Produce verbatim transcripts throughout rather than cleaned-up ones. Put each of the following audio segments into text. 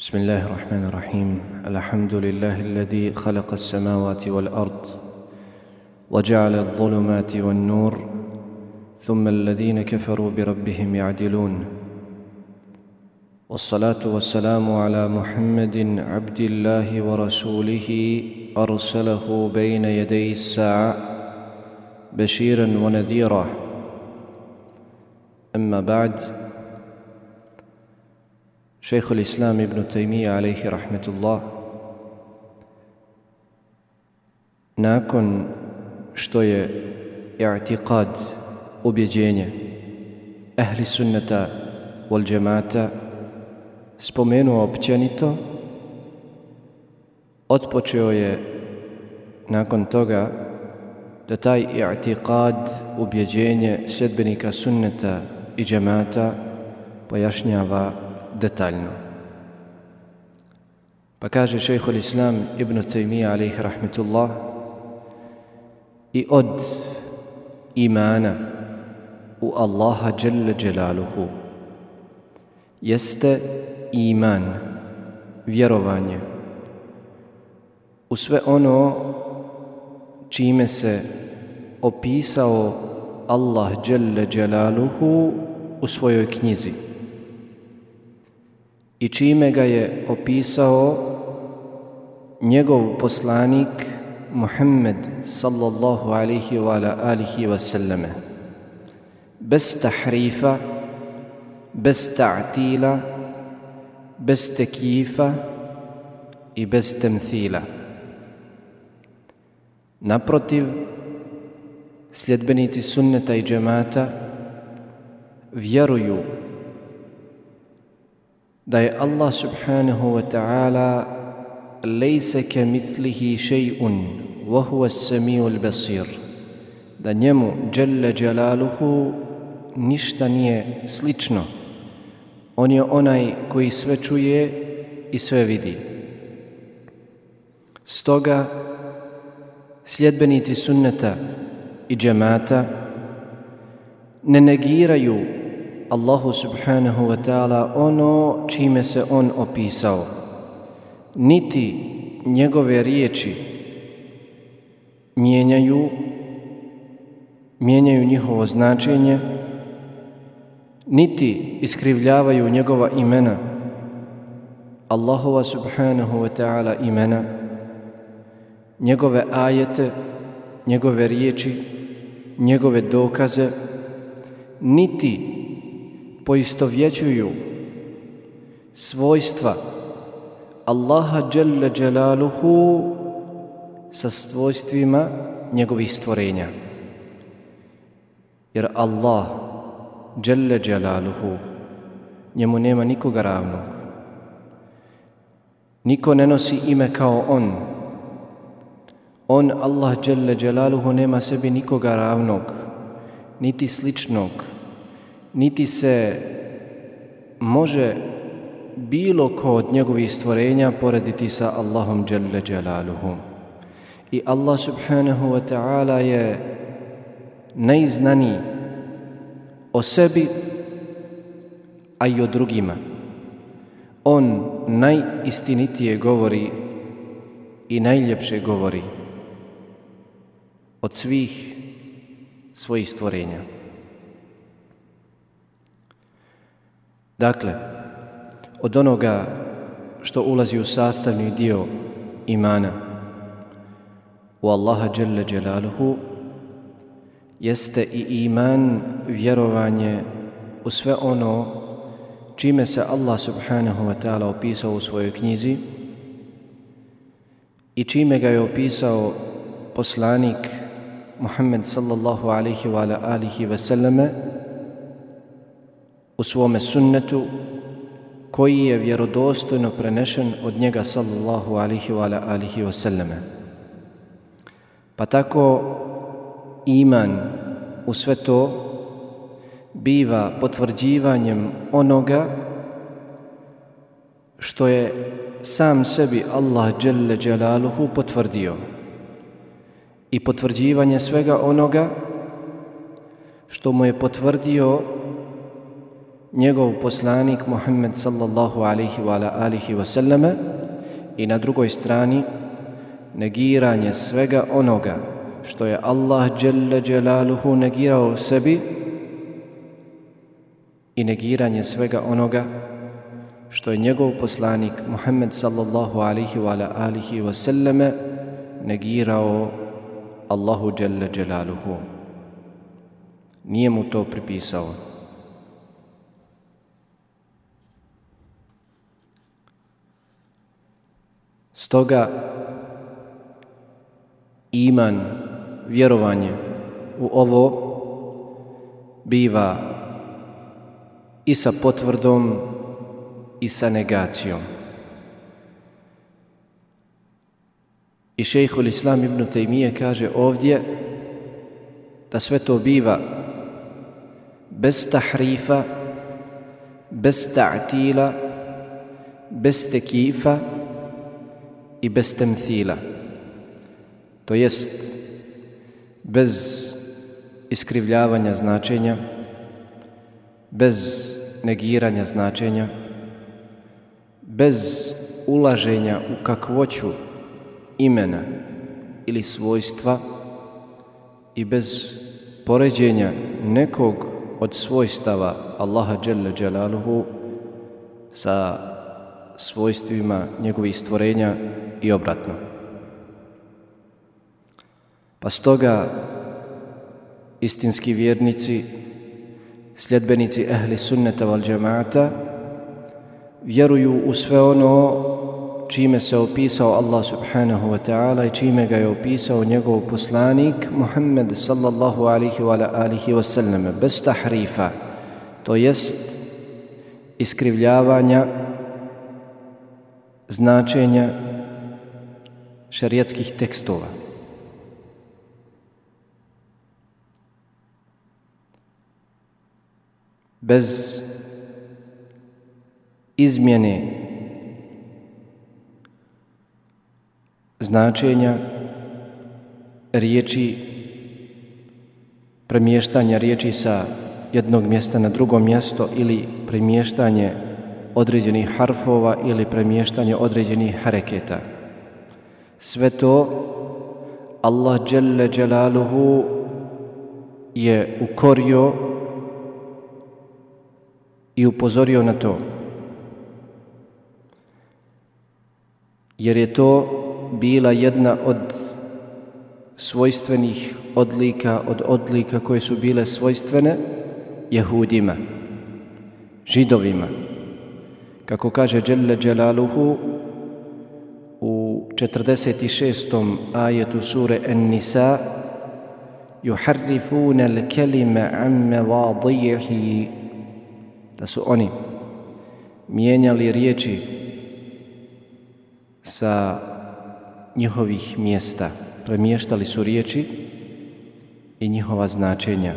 بسم الله الرحمن الرحيم. الحمد لله الذي خلق السماوات والأرض وجعل الظلمات والنور ثم الذين كفروا بربهم يعدلون، والصلاة والسلام على محمد عبد الله ورسوله أرسله بين يدي الساعة بشيرا ونذيرا. أما بعد، شيخ الإسلام ابن تيمية عليه رحمة الله nakon što je i'tiqad, ubjeđenje ahli sunnata wal džemata spomenuo općenito, otpočeo je nakon toga da taj i'tiqad, ubjeđenje sljedbenika sunneta i džemata pojašnjava detaljno. Pa kaže šejhul Islam ibn Tejmija alejhi rahmetullah: i od imana u Allaha dželle dželaluhu jeste iman, vjerovanje u sve ono čime se opisao Allah dželle dželaluhu u svojoj knjizi i čime ga je opisao njegov poslanik Muhammed sallallahu alaihi wa ala alihi wa sallame, bez tahrifa, bez ta'tila, bez tekifa i bez temthila. Naprotiv, sljedbenici sunneta i džemata vjeruju da je Allah subhanahu wa ta'ala lejse ke mithlihi še'un wa huwa as-sami'ul basir, da njemu dželle dželaluhu ništa nije slično. On je onaj koji sve čuje i sve vidi. Stoga sljedbenici sunneta i džemata ne negiraju Allahu subhanahu wa ta'ala ono čime se on opisao, niti njegove riječi mijenjaju, mijenjaju njihovo značenje, niti iskrivljavaju njegova imena, Allahova subhanahu wa ta'ala imena, njegove ajete, njegove riječi, njegove dokaze, niti poistovjećuju svojstva Allaha dželle dželaluhu sa svojstvima njegovih stvorenja. Jer Allah dželle dželaluhu, njemu nema nikoga ravnog. Niko ne nosi ime kao on. On, Allah dželle dželaluhu, nema sebi nikoga ravnog, niti sličnog, niti se može bilo ko od njegovih stvorenja porediti sa Allahom dželle dželaluhu. I Allah subhanahu wa ta'ala je najznaniji o sebi, a i o drugima. On najistinitije govori i najljepše govori od svih svojih stvorenja. Dakle, od onoga što ulazi u sastavni dio imana u Allaha dželle dželaluhu jeste i iman, vjerovanje u sve ono čime se Allah subhanahu wa ta'ala opisao u svojoj knjizi i čime ga je opisao poslanik Muhammed sallallahu alaihi wa ala alihi wa sallame u svome sunnetu koji je vjerodostojno prenešen od njega sallallahu alaihi wa ala alihi wa sallame. Pa tako iman u sve to biva potvrđivanjem onoga što je sam sebi Allah dželle dželaluhu potvrdio i potvrđivanje svega onoga što mu je potvrdio njegov poslanik Muhammed sallallahu alaihi wa alihi wa sallame, i na drugoj strani negiranje svega onoga što je Allah dželle dželaluhu negirao sebi i negiranje svega onoga što je njegov poslanik Muhammed sallallahu alaihi wa alihi wa sallame negirao Allahu dželle dželaluhu. Nije mu to pripisao. Stoga iman, vjerovanje u ovo biva i sa potvrdom i sa negacijom. I šejhul Islam ibn Tejmije kaže ovdje da sve to biva bez tahrifa, bez ta'tila, bez tekifa i bez temthila. To jest bez iskrivljavanja značenja, bez negiranja značenja, bez ulaženja u kakvoću imena ili svojstva i bez poređenja nekog od svojstava Allaha dželle dželaluhu sa svojstvima njegovih stvorenja i obratno. Pa stoga istinski vjernici, sljedbenici ehli sunneta val džemaata vjeruju u sve ono čime se opisao Allah subhanahu wa ta'ala i čime ga je opisao njegov poslanik Muhammed sallallahu alaihi wa alihi wa sallam, bez tahrifa, to jest iskrivljavanja značenja šerijatskih tekstova. Bez izmjene značenja riječi, premještanja riječi sa jednog mjesta na drugo mjesto ili premještanje određenih harfova ili premještanje određenih hareketa. Sve to Allah dželle dželaluhu je ukorio i upozorio na to, jer je to bila jedna od svojstvenih odlika, od odlika koje su bile svojstvene Jehudima, Židovima. Kako kaže dželle dželaluhu u četrdeset šestom ajetu sure An-Nisa, yuharrifuna al-kalima an mawadihi, da su oni mijenjali riječi sa njihovih mjesta, premještali su riječi i njihova značenja.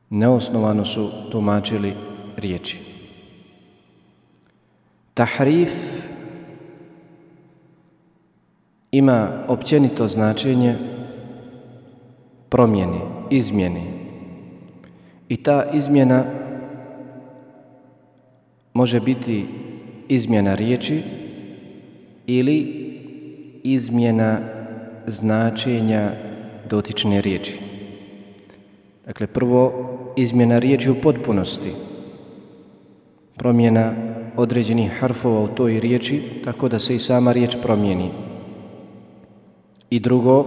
Neosnovano su tumačili riječi. Tahrif ima općenito značenje promjene, izmjene. I ta izmjena može biti izmjena riječi ili izmjena značenja dotične riječi. Dakle, prvo izmjena riječi u potpunosti, promjena određenih harfova u toj riječi tako da se i sama riječ promijeni. I drugo,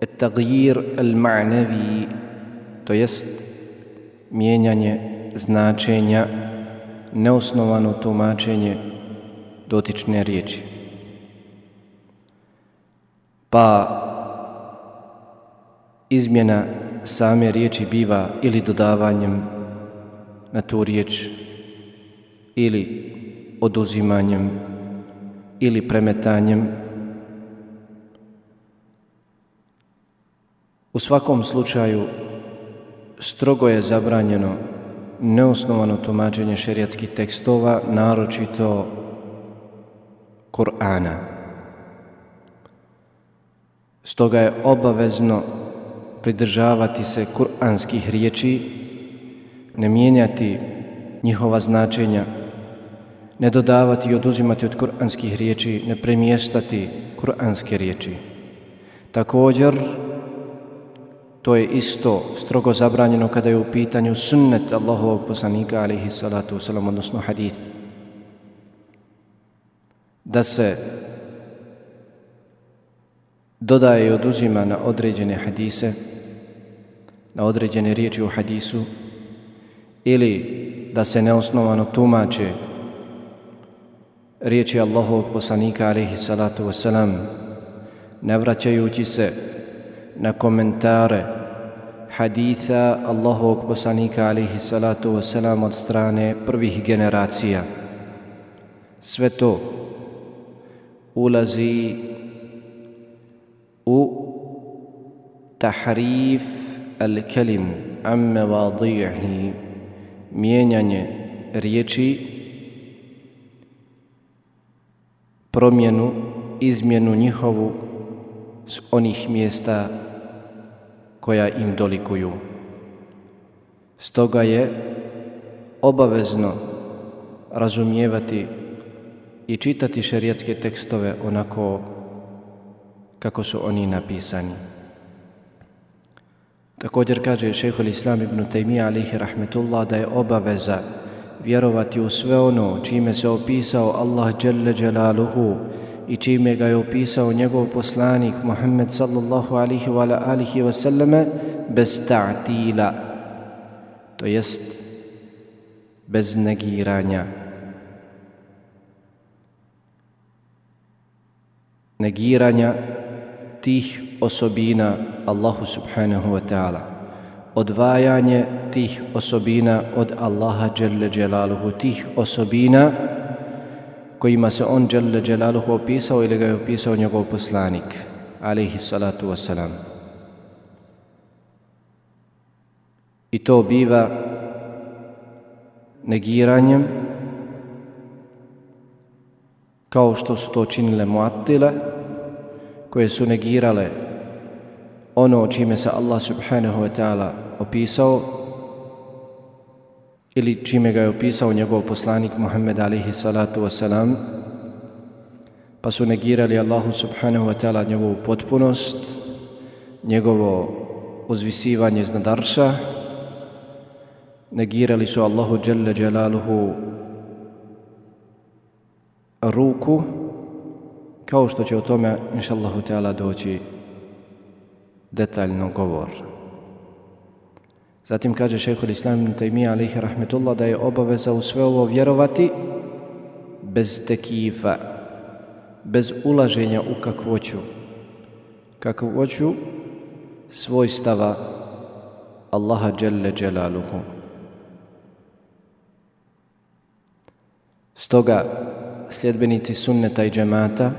at-taghyir al-ma'navi, to jest mijenjanje značenja, neosnovano tumačenje dotične riječi. Pa izmjena same riječi biva ili dodavanjem na tu riječ, ili oduzimanjem, ili premetanjem. U svakom slučaju strogo je zabranjeno neosnovano tumačenje šerijatskih tekstova, naročito Kur'ana. Stoga je obavezno pridržavati se kuranskih riječi, ne mijenjati njihova značenja, ne dodavati i oduzimati od kuranskih riječi, ne premještati kuranske riječi. Također, to je isto strogo zabranjeno kada je u pitanju sunnet Allahovog poslanika alejhi salatu vesselam, odnosno hadith. Da se dodaje i oduzima na određene hadise, na određene riječi u hadisu, ili da se neosnovano tumače riječi Allahovog poslanika alejhi salatu vesselam, ne vraćajući se na komentare haditha Allahovog poslanika alejhi salatu vesselam od strane prvih generacija. Sve to ulazi u tahrif al-kelim an mevadihi, mijenjanje riječi, promjenu, izmjenu njihovu s onih mjesta koja im dolikuju. Stoga je obavezno razumijevati i čitati šerijatske tekstove onako kako su oni napisani. Također kaže šejhul Islam ibn Tejmija alejhi rahmetullah da je obaveza vjerovati u sve ono čime se opisao Allah dželle dželaluhu i čime ga je opisao njegov poslanik Muhammed sallallahu alaihi wa alihi wa sallame bez ta'tila, to jest bez negiranja. Negiranja tih osobina Allahu subhanahu wa ta'ala, odvajanje tih osobina od Allaha dželle dželaluhu, tih osobina kojima se on dželle dželaluhu opisao ili ga je opisao njegov poslanik alejhi salatu wassalam. I to biva negiranjem kao što su to činile muattile, koje su negirale ono čime se Allah subhanahu wa ta'ala opisao ili čime ga je opisao njegov poslanik Muhammed alejhi salatu wassalam, pa su negirali Allahu subhanahu wa ta'ala njegovu potpunost, njegovo uzvisivanje iznad arša, negirali su Allahu dželle dželaluhu ruku, kao što će o tome inšallahu ta'ala doći detaljno govor. Zatim kaže šejhul Islam ibn Tejmija alejhi rahmetullah da je obaveza u sve ovo vjerovati bez tekifa, bez ulaženja u kakvoću, kakvoću svojstava Allaha dželle dželaluhu. Stoga sljedbenici sunneta i džemata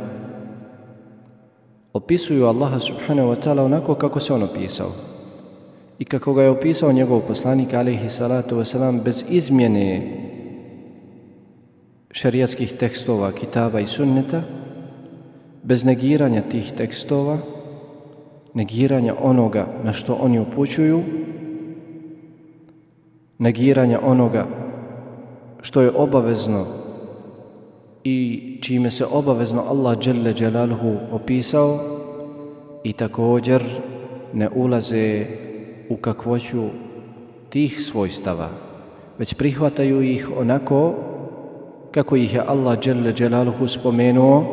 opisuju Allaha subhanahu wa ta'ala onako kako se on opisao i kako ga je opisao njegov poslanik alejhi salatu wasalam, bez izmjene šerijatskih tekstova, kitaba i sunneta, bez negiranja tih tekstova, negiranja onoga na što oni upućuju, negiranja onoga što je obavezno i čime se obavezno Allah dželle dželaluhu opisao, i također ne ulaze u kakvoću tih svojstava, već prihvataju ih onako kako ih je Allah dželle dželaluhu spomenuo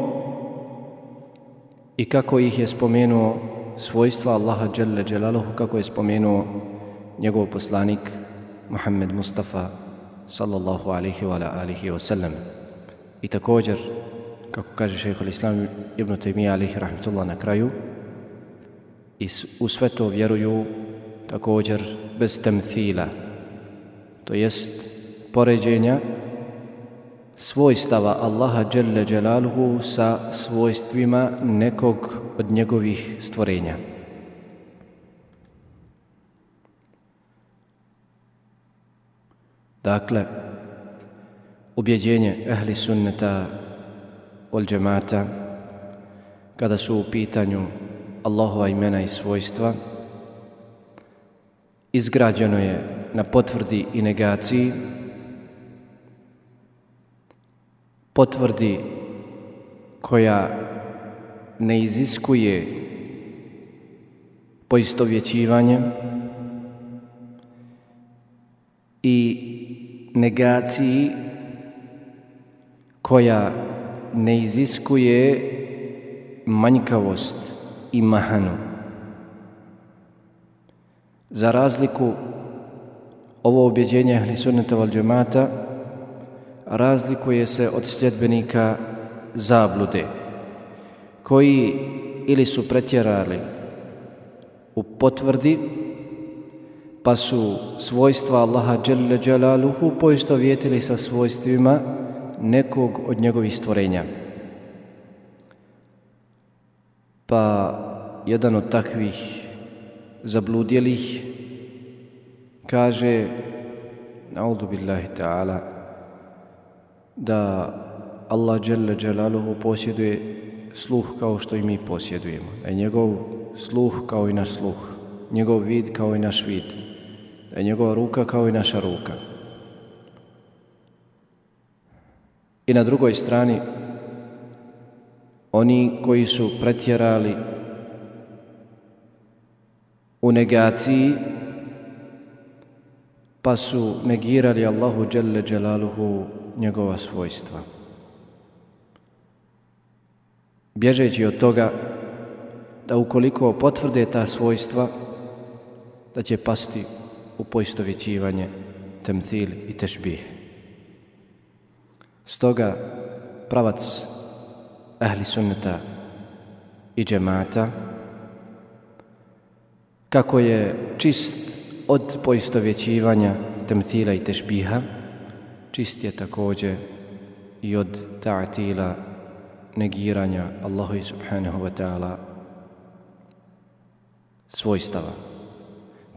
i kako ih je spomenuo svojstva Allaha dželle dželaluhu, kako je spomenuo njegov poslanik Muhammed Mustafa sallallahu alaihi wa alihi wa sallam. I također, kako kaže šejhul Islam ibn Tejmija alejhi rahmetullah na kraju, i u sve to vjeruju također bez temthila, to jest poređenja svojstava Allaha dželle dželaluhu sa svojstvima nekog od njegovih stvorenja. Dakle, ubjeđenje ehli sunneta wal džemata kada su u pitanju Allahova imena i svojstva izgrađeno je na potvrdi i negaciji, potvrdi koja ne iziskuje poistovjećivanje i negaciji koja ne iziskuje manjkavost i mahanu. Za razliku, ovo ubjeđenje ahli sunneta val džemata razlikuje se od sljedbenika zablude, koji ili su pretjerali u potvrdi, pa su svojstva Allaha dželle dželaluhu poistovjetili sa svojstvima nekog od njegovih stvorenja. Pa jedan od takvih zabludjelih kaže, na'udhu billahi ta'ala, da Allah dželle dželaluhu posjeduje sluh kao što i mi posjedujemo, da je njegov sluh kao i naš sluh, njegov vid kao i naš vid, da je njegova ruka kao i naša ruka. I na drugoj strani, oni koji su pretjerali u negaciji, pa su negirali Allahu dželle dželaluhu njegova svojstva, bježeći od toga da ukoliko potvrde ta svojstva, da će pasti u poistovjećivanje, temthil i tešbih. Stoga pravac ahli sunneta i džemata, kako je čist od poistovjećivanja, temthila i tešbiha, čist je također i od ta'atila, negiranja Allahu subhanahu wa ta'ala svojstava.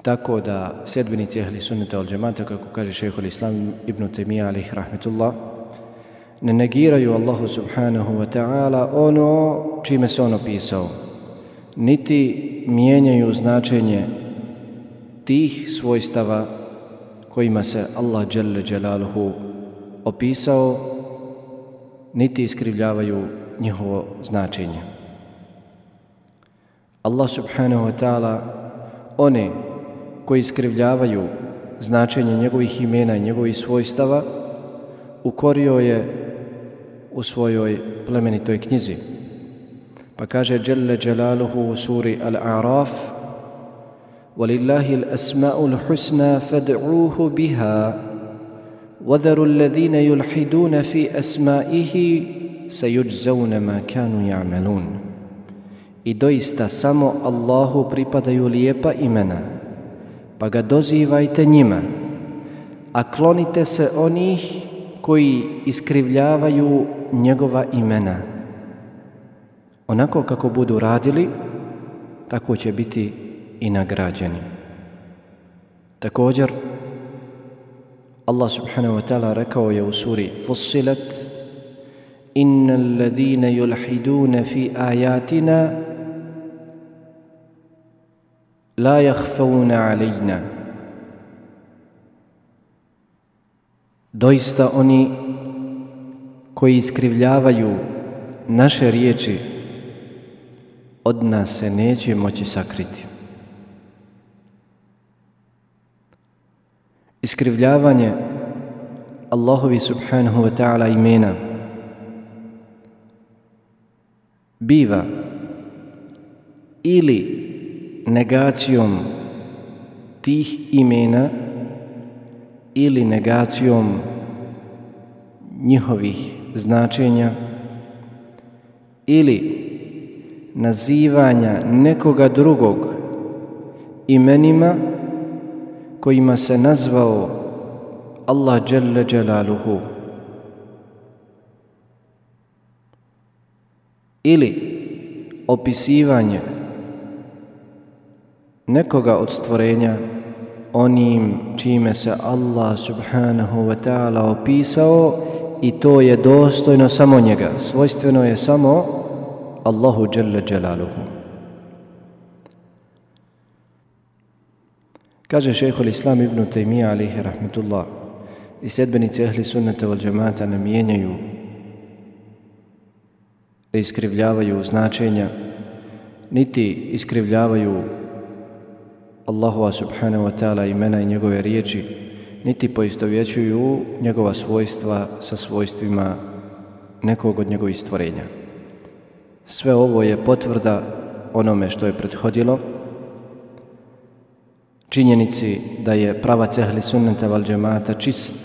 Tako da sljedbenici ahli sunneta wal džemata, kako kaže šejhul islam ibn Taymija alejhi rahmetullah, ne negiraju Allahu subhanahu wa ta'ala ono čime se on opisao, niti mijenjaju značenje tih svojstava kojima se Allah dželle dželaluhu opisao, niti iskrivljavaju njihovo značenje. Allah subhanahu wa ta'ala one koji iskrivljavaju značenje njegovih imena i njegovih svojstava ukorio je u svojoj plemenitoj knjizi. Pa kaže dželle dželaluhu u suri Al-A'raf: وَلِلَّهِ الْأَسْمَاءُ الْحُسْنَى فَادْعُوهُ بِهَا وَذَرُوا الَّذِينَ يُلْحِدُونَ فِي أَسْمَائِهِ سَيُجْزَوْنَ مَا كَانُوا يَعْمَلُونَ. I doista samo Allahu pripadaju lijepa imena, pa ga dozivajte njima, a klonite se onih koji iskrivljavaju njegova imena. Onako kako budu radili, tako će biti i nagrađeni. Također, Allah subhanahu wa ta'ala rekao je u suri Fussilat: Innal ladhina yulhiduna fi ayatina la yakhfawna alayna. Doista oni koji iskrivljavaju naše riječi od nas se neće moći sakriti. Iskrivljavanje Allahovi subhanahu wa ta'ala imena biva ili negacijom tih imena ili negacijom njihovih značenja ili nazivanja nekoga drugog imenima kojima se nazvao Allah dželle dželaluhu, ili opisivanje nekoga od stvorenja onim čime se Allah subhanahu wa ta'ala opisao, i to je dostojno samo njega, svojstveno je samo Allahu dželle dželaluhu. Kaže šejhul Islam ibn Tejmija alejhi rahmetullah, i sljedbenici ehli sunneta wal džemata ne mijenjaju, ne iskrivljavaju značenja, niti iskrivljavaju Allahova subhanahu wa ta'ala imena i njegove riječi, niti poistovjećuju njegova svojstva sa svojstvima nekog od njegovih stvorenja. Sve ovo je potvrda onome što je prethodilo, činjenici da je pravac ehli sunneta wal džemata čist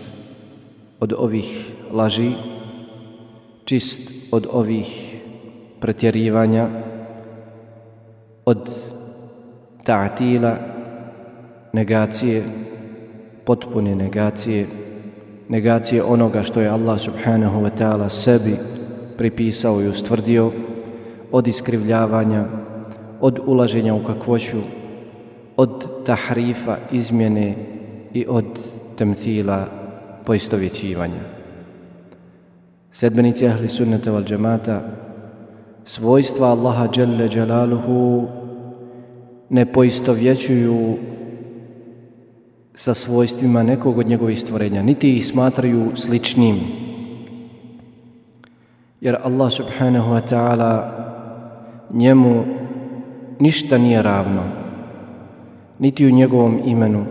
od ovih laži, čist od ovih pretjerivanja, od ta'tila, negacije, potpune negacije, negacije onoga što je Allah subhanahu wa ta'ala sebi pripisao i ustvrdio, od iskrivljavanja, od ulaženja u kakvoću, od tahrifa, izmjene i od temthila, poistovjećivanja. Sljedbenici ahli sunnata wal džemata svojstva Allaha dželle dželaluhu ne poistovjećuju sa svojstvima nekog od njegovih stvorenja, niti ih smatraju sličnim. Jer Allah subhanahu wa ta'ala njemu ništa nije ravno, niti u njegovom imenu,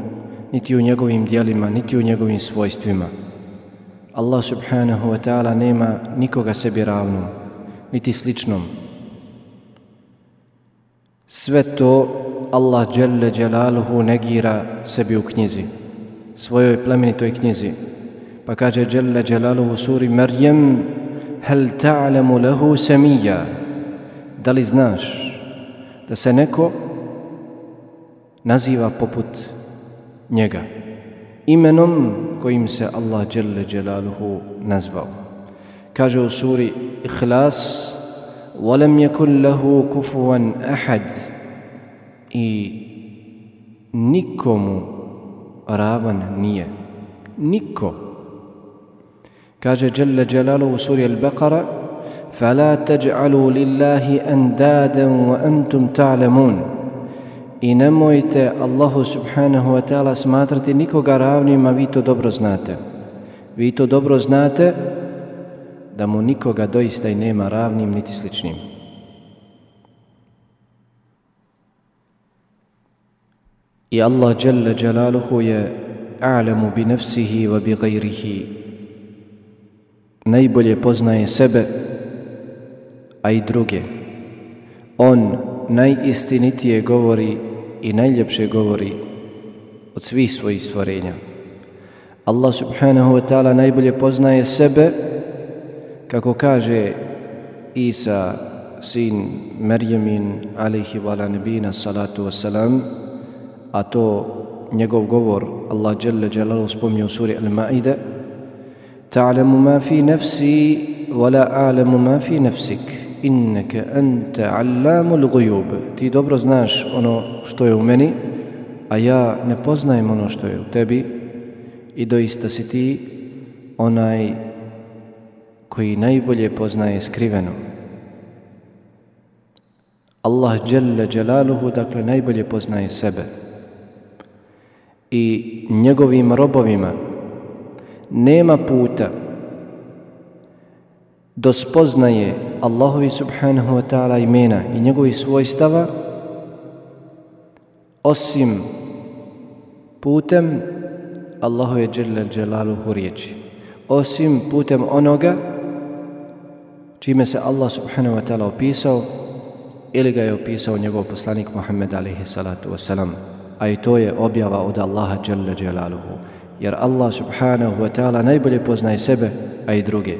niti u njegovim djelima, niti u njegovim svojstvima. Allah subhanahu wa ta'ala nema nikoga sebi ravnom, niti sličnom. Sve to Allah dželle dželaluhu negira sebi u knjizi, svojoj plemenitoj knjizi. Pa kaže dželle dželaluhu u suri Merjem: hel ta'lamu lahu samija, da li znaš da se neko naziva poput njega, imenom kojim se Allah dželle dželaluhu nazvao. Kaže u suri Ihlas: وَلَمْ يَكُنْ لَهُ كُفُوًا أَحَدٍ, i nikomu ravan nije, niko. Kaže dželle dželaluhu u suri Al-Baqara: فَلَا تَجْعَلُوا لِلَّهِ أَنْدَادًا وَأَنْتُمْ تَعْلَمُونَ, i nemojte Allahu subhanahu wa ta'ala smatrati nikoga ravnim, a vi to dobro znate. Vi to dobro znate da mu nikoga doista i nema ravnim niti sličnim. I Allah dželle dželaluhu je a'lamu bi nafsihi wa bi gajrihi, najbolje poznaje sebe, a i druge. On najistinitije govori i najljepše govori od svih svojih stvorenja. Allah subhanahu wa ta'ala najbolje poznaje sebe, kako kaže Isa, sin Merjemin, alejhi wa ala nebina salatu wassalam, a to njegov govor Allah dželle dželaluhu spominje u suri Al-Maide: ta'lamu ma fi nafsi wa la a'lamu ma fi nafsik innaka anta allamul ghuyub, ti dobro znaš ono što je u meni, a ja ne poznajem ono što je u tebi, i doista si ti onaj koji najbolje poznaje skriveno. Allah dželle dželaluhu dakle najbolje poznaje sebe i njegovim robovima nema puta do spoznaje Allahovi subhanahu wa ta'ala imena i njegovih svojstava osim putem Allahove dželle dželaluhu riječi, osim putem onoga čime se Allah subhanahu wa ta'ala opisao ili ga je opisao njegov poslanik Muhammed alejhi salatu wassalam, a i to je objava od Allaha dželle dželaluhu, jer Allah subhanahu wa ta'ala najbolje poznaje sebe, a i druge.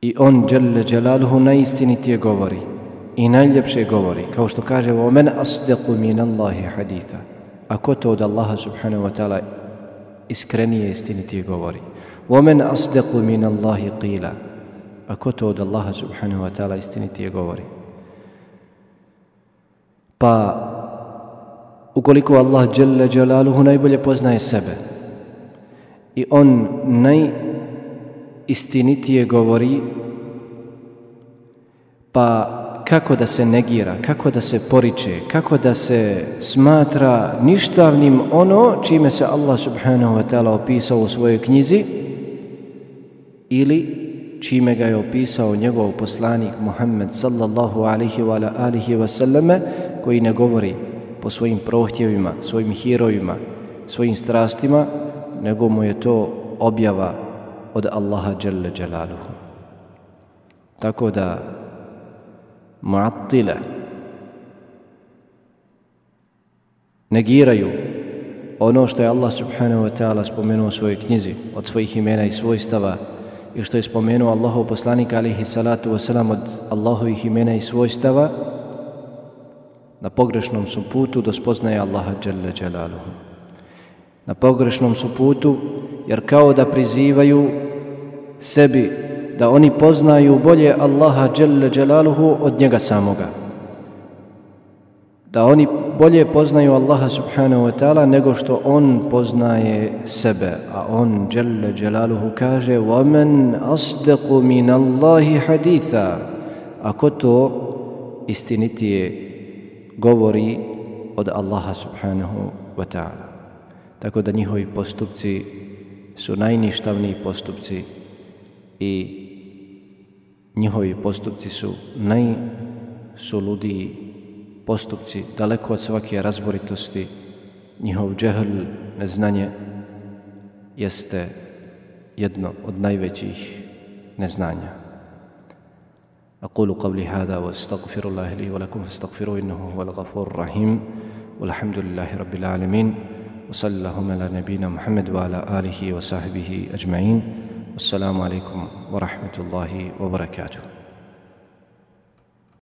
I on dželle dželaluhu najistinitije govori i najljepše govori, kao što kaže: وَمَنْ أَصْدَقُ مِنَ اللَّهِ حَدِيثًا, a ko to od Allaha subhanahu wa ta'ala iskrenije istinitije govori? وَمَنْ أَصْدَقُ مِنَ اللَّهِ قِيلًا, a ko to od Allaha subhanahu wa ta'ala istinitije govori? Pa ukoliko Allah dželle dželaluhu najbolje poznaje sebe i on najistinitije govori, pa kako da se negira, kako da se poriče, kako da se smatra ništavnim ono čime se Allah subhanahu wa ta'ala opisao u svojoj knjizi ili čime ga je opisao njegov poslanik Muhammed sallallahu alaihi wa alihi wa sallame, koji ne govori po svojim prohtjevima, svojim hirojima, svojim strastima, nego mu je to objava od Allaha dželle dželaluhu. Tako da mu'attile negiraju ono što je Allah subhanahu wa ta'ala spomenuo u svojoj knjizi od svojih imena i svojstava i što je spomenuo Allahov poslanik alejhi salatu vesselam od Allahovih imena i svojstava, na pogrešnom su putu do spoznaje Allaha dželle dželaluhu. Na pogrešnom su putu jer kao da prizivaju sebi da oni poznaju bolje Allaha dželle dželaluhu od njega samoga. Da oni bolje poznaju Allaha subhanahu wa ta'ala nego što on poznaje sebe. A on dželle dželaluhu kaže وَمَنْ أَصْدَقُ مِنَ اللَّهِ حَدِيثًا. Ako to istinitije govori od Allaha subhanahu wa ta'ala. Tako da njihovi postupci su najništavniji postupci i njihovi postupci su najsuludiji postupci, daleko od svake razboritosti. Njihov džehl, neznanje, jeste jedno od najvećih neznanja. أقول قولي هذا واستغفر الله لي ولكم فاستغفروه إنه هو الغفور الرحيم والحمد لله رب العالمين وصلى اللهم على نبينا محمد وعلى آله وصحبه أجمعين والسلام عليكم ورحمة الله وبركاته.